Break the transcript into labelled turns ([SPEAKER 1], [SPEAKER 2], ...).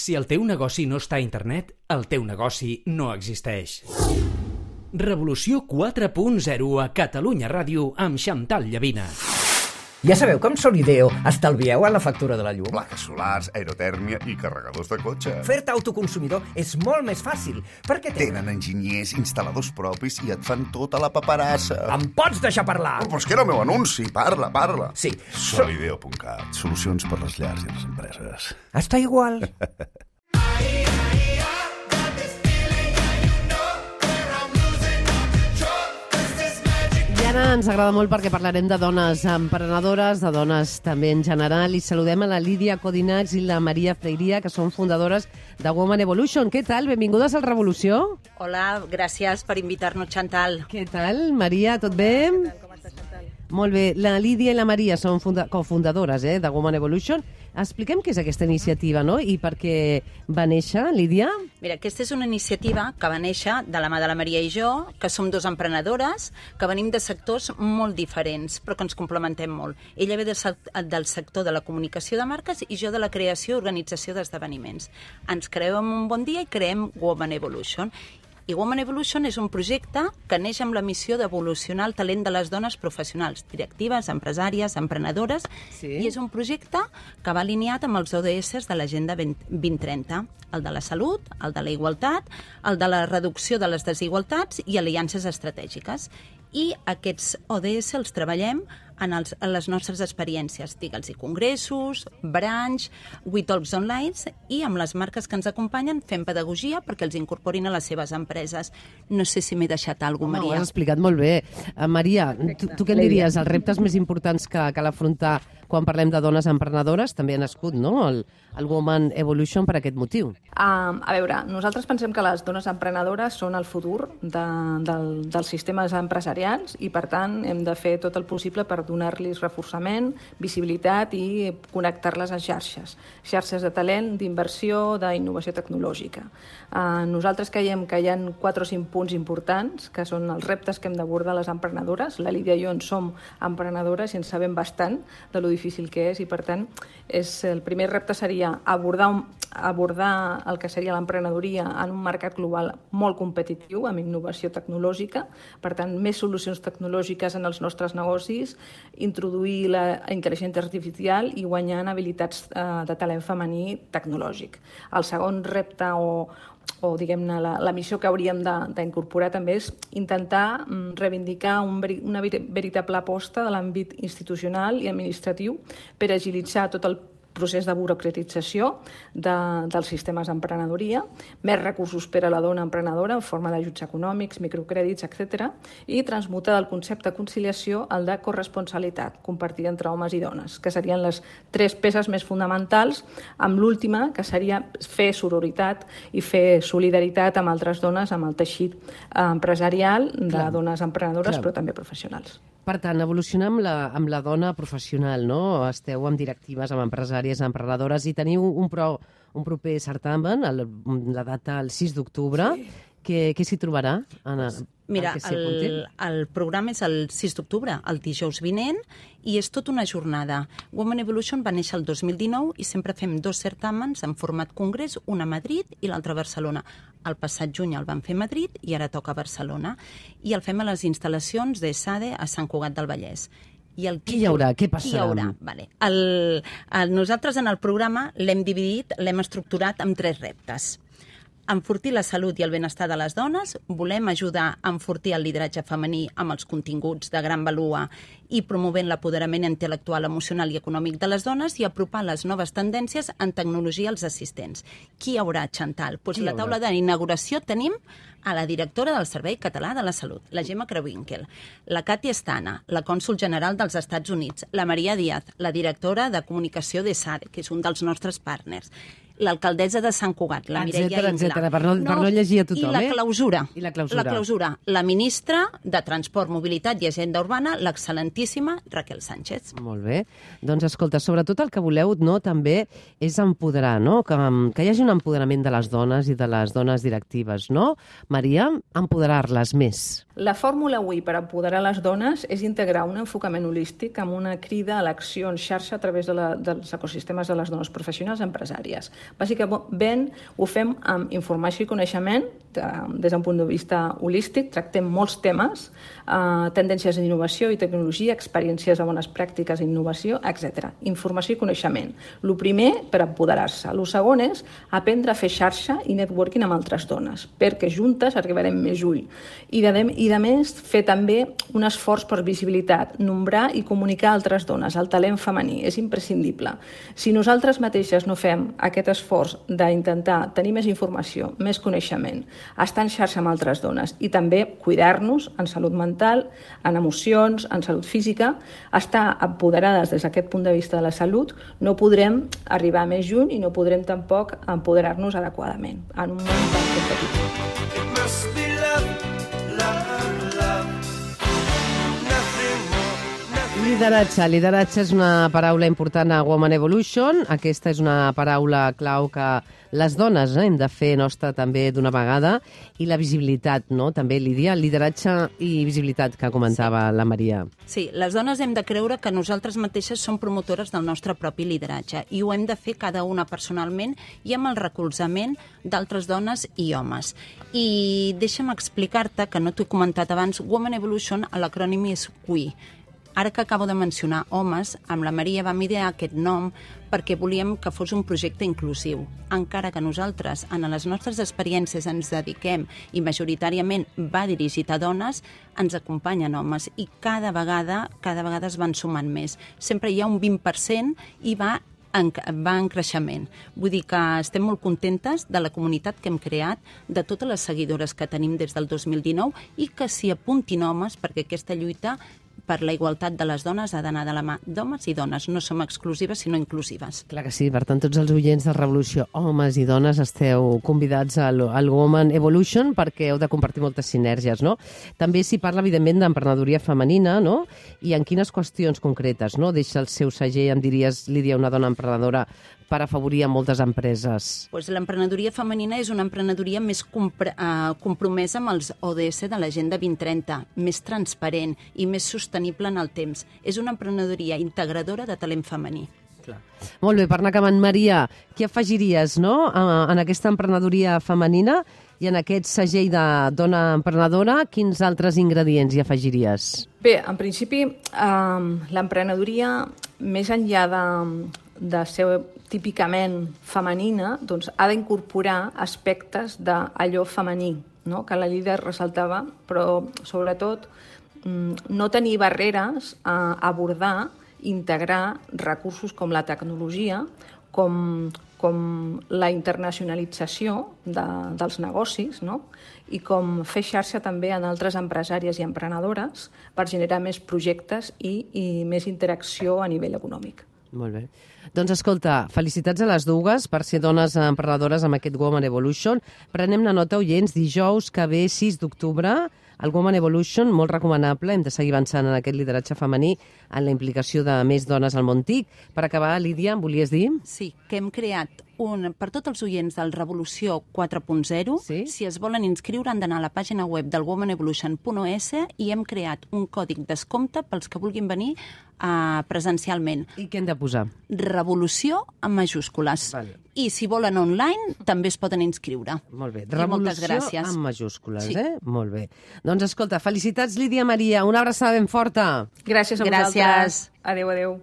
[SPEAKER 1] Si el teu negoci no està a internet, el teu negoci no existeix. Revolució 4.0 a Catalunya Ràdio amb Xantal Llavina.
[SPEAKER 2] Ja sabeu com Solideo estalvieu en la factura de la llum?
[SPEAKER 3] Plaques solars, aerotèrmia i carregadors de cotxe.
[SPEAKER 2] Fer-te autoconsumidor és molt més fàcil, perquè
[SPEAKER 3] Tenen enginyers, instal·ladors propis i et fan tota la paperassa.
[SPEAKER 2] Em pots deixar parlar?
[SPEAKER 3] Oh, però és que era el meu anunci. Parla.
[SPEAKER 2] Sí.
[SPEAKER 3] Solideo.cat. Solucions per les llars i les empreses.
[SPEAKER 2] Està igual.
[SPEAKER 4] I ara ens agrada molt perquè parlarem de dones emprenedores, de dones també en general, i saludem a la Lídia Codinacs i la Maria Freiria, que són fundadores de Woman Evolution. Què tal? Benvingudes al Revolució.
[SPEAKER 5] Hola, gràcies per invitar-nos, Xantal.
[SPEAKER 4] Què tal, Maria? Tot bé?
[SPEAKER 5] Com estàs, Xantal?
[SPEAKER 4] Molt bé. La Lídia i la Maria són cofundadores de Woman Evolution. Expliquem què és aquesta iniciativa, no? I per què va néixer, Lídia?
[SPEAKER 5] Mira, aquesta és una iniciativa que va néixer de la mà de la Maria i jo, que som dos emprenedores, que venim de sectors molt diferents, però que ens complementem molt. Ella ve del sector de la comunicació de marques i jo de la creació i organització d'esdeveniments. Ens creem un bon dia i creem Woman Evolution. I Woman Evolution és un projecte que neix amb la missió d'evolucionar el talent de les dones professionals, directives, empresàries, emprenedores,
[SPEAKER 4] Sí.
[SPEAKER 5] I és un projecte que va alineat amb els ODS de l'Agenda 2030, el de la salut, el de la igualtat, el de la reducció de les desigualtats i aliances estratègiques. I aquests ODS els treballem en les nostres experiències, digue'ls-hi congressos, branch, WeTalks online, i amb les marques que ens acompanyen fem pedagogia perquè els incorporin a les seves empreses. No sé si m'he deixat alguna cosa,
[SPEAKER 4] Ho
[SPEAKER 5] Maria.
[SPEAKER 4] has explicat molt bé. Maria, tu què en diries? Els reptes més importants que cal afrontar quan parlem de dones emprenedores, també ha nascut, no?, el Woman Evolution per aquest motiu.
[SPEAKER 6] A veure, nosaltres pensem que les dones emprenedores són el futur dels sistemes empresarials i, per tant, hem de fer tot el possible per donar-los reforçament, visibilitat i connectar-les a xarxes. Xarxes de talent, d'inversió, d'innovació tecnològica. Nosaltres creiem que hi ha 4 o 5 punts importants, que són els reptes que hem d'abordar les emprenedores. La Lídia i jo en som emprenedores i en sabem bastant de lo difícil que és i, per tant, el primer repte seria abordar el que seria l'emprenedoria en un mercat global molt competitiu, amb innovació tecnològica, per tant, més solucions tecnològiques en els nostres negocis, introduir la intel·ligència artificial i guanyar en habilitats de talent femení tecnològic. El segon repte o diguem-ne, la missió que hauríem d'incorporar també és intentar reivindicar una veritable aposta de l'àmbit institucional i administratiu per agilitzar tot el procés de burocratització dels sistemes d'emprenedoria, més recursos per a la dona emprenedora en forma d'ajuts econòmics, microcrèdits, etc. i transmutar del concepte de conciliació al de corresponsabilitat, compartida entre homes i dones, que serien les 3 peces més fonamentals, amb l'última, que seria fer sororitat i fer solidaritat amb altres dones, amb el teixit empresarial de dones emprenedores, però també professionals.
[SPEAKER 4] Per tant, evolucionar amb la dona professional, no? Esteu amb directives, amb empresàries, emprenedores, i teniu un proper certamen, la data el 6 d'octubre. Sí. Què s'hi trobarà?
[SPEAKER 5] Mira, el programa és el 6 d'octubre, el dijous vinent, i és tota una jornada. Woman Evolution va néixer el 2019 i sempre fem 2 certàmens en format congrés, un a Madrid i l'altre a Barcelona. El passat juny el vam fer a Madrid i ara toca a Barcelona. I el fem a les instal·lacions de SADE a Sant Cugat del Vallès.
[SPEAKER 4] Què hi haurà? Què passarà?
[SPEAKER 5] Què hi haurà? Vale. Nosaltres en el programa l'hem dividit, l'hem estructurat amb 3 reptes. Enfortir la salut i el benestar de les dones, volem ajudar a enfortir el lideratge femení amb els continguts de gran valua i promovent l'apoderament intel·lectual, emocional i econòmic de les dones i apropar les noves tendències en tecnologia als assistents. Qui hi haurà, Xantal? Doncs la taula d'inauguració tenim a la directora del Servei Català de la Salut, la Gemma Crewinkel, la Katia Estana, la cònsol general dels Estats Units, la Maria Díaz, la directora de comunicació de SADE, que és un dels nostres partners, l'alcaldessa de Sant Cugat, la Mireia Ingla.
[SPEAKER 4] Etcètera, per no llegir a tothom.
[SPEAKER 5] I la clausura.
[SPEAKER 4] I la clausura.
[SPEAKER 5] La clausura. La ministra de Transport, Mobilitat i Agenda Urbana, l'excel·lentíssima excelentíssima Raquel Sánchez.
[SPEAKER 4] Molt bé. Doncs escolta, sobretot el que voleu també és empoderar, no? Que hi hagi un empoderament de les dones i de les dones directives, no? Maria, empoderar-les més.
[SPEAKER 6] La fórmula avui per empoderar les dones és integrar un enfocament holístic amb una crida a l'acció en xarxa a través dels ecosistemes de les dones professionals i empresàries. Bàsicament ho fem amb informació i coneixement des d'un punt de vista holístic, tractem molts temes, tendències en innovació i tecnologia, experiències de bones pràctiques i innovació, etc. Informació i coneixement. El primer, per empoderar-se. El segon és aprendre a fer xarxa i networking amb altres dones, perquè juntes arribarem més lluny. I a més, fer també un esforç per visibilitat, nombrar i comunicar a altres dones, el talent femení, és imprescindible. Si nosaltres mateixes no fem aquest esforç d'intentar tenir més informació, més coneixement, estar en xarxa amb altres dones i també cuidar-nos en salut mental, en emocions, en salut física, estar empoderades des d'aquest punt de vista de la salut, no podrem arribar més lluny i no podrem tampoc empoderar-nos adequadament en un món tan competitiu.
[SPEAKER 4] Lideratge és una paraula important a Women Evolution. Aquesta és una paraula clau que les dones hem de fer nostra també d'una vegada. I la visibilitat, no? També, Lídia, lideratge i visibilitat que comentava la Maria.
[SPEAKER 5] Sí, les dones hem de creure que nosaltres mateixes som promotores del nostre propi lideratge i ho hem de fer cada una personalment i amb el recolzament d'altres dones i homes. I deixa'm explicar-te, que no t'ho he comentat abans, Women Evolution, l'acrònim és WE. Ara que acabo de mencionar homes, amb la Maria vam idear aquest nom perquè volíem que fos un projecte inclusiu. Encara que nosaltres, en les nostres experiències, ens dediquem i majoritàriament va dirigit a dones, ens acompanyen homes i cada vegada es van sumant més. Sempre hi ha un 20% i va en creixement. Vull dir que estem molt contentes de la comunitat que hem creat, de totes les seguidores que tenim des del 2019 i que s'hi apuntin homes perquè aquesta lluita per la igualtat de les dones ha d'anar de la mà d'homes i dones. No som exclusives, sinó inclusives.
[SPEAKER 4] Clar que sí. Per tant, tots els oients de Revolució, homes i dones, esteu convidats al Women Evolution perquè heu de compartir moltes sinergies, no? També s'hi parla, evidentment, d'emprenedoria femenina, no? I en quines qüestions concretes, no? Deixa el seu segell, em diries, Lídia, una dona emprenedora, per afavorir a moltes empreses?
[SPEAKER 5] Pues l'emprenedoria femenina és una emprenedoria més compromesa amb els ODS de l'Agenda 2030, més transparent i més sostenible en el temps. És una emprenedoria integradora de talent femení.
[SPEAKER 4] Clar. Molt bé, per anar acabant, Maria, què afegiries, no?, en aquesta emprenedoria femenina i en aquest segell de dona emprenedora, quins altres ingredients hi afegiries?
[SPEAKER 6] Bé, en principi, l'emprenedoria, més enllà de ser típicament femenina, doncs ha d'incorporar aspectes d'allò femení, no?, que la líder ressaltava, però sobretot no tenir barreres a abordar, integrar recursos com la tecnologia, com la internacionalització dels negocis, no?, i com fer xarxa també en altres empresàries i emprenedores per generar més projectes i més interacció a nivell econòmic.
[SPEAKER 4] Molt bé. Doncs escolta, felicitats a les dues per ser dones emprenedores amb aquest Women Evolution. Prenem la nota, oients, dijous que ve 6 d'octubre, el Women Evolution, molt recomanable, hem de seguir avançant en aquest lideratge femení, en la implicació de més dones al món TIC. Per acabar, Lídia, em volies dir?
[SPEAKER 5] Sí, que hem creat per tots els oients del Revolució 4.0,
[SPEAKER 4] sí?
[SPEAKER 5] Si es volen inscriure han d'anar a la pàgina web del womenevolution.es i hem creat un còdig descompte pels que vulguin venir presencialment.
[SPEAKER 4] I què hem de posar?
[SPEAKER 5] Revolució en majúscules.
[SPEAKER 4] Vale.
[SPEAKER 5] I si volen online també es poden inscriure.
[SPEAKER 4] Molt bé.
[SPEAKER 5] Revolució
[SPEAKER 4] en majúscules,
[SPEAKER 5] sí.
[SPEAKER 4] Molt bé. Doncs escolta, felicitats, Lídia Maria. Una abraçada ben forta.
[SPEAKER 6] Gràcies a vosaltres. Adéu, adéu.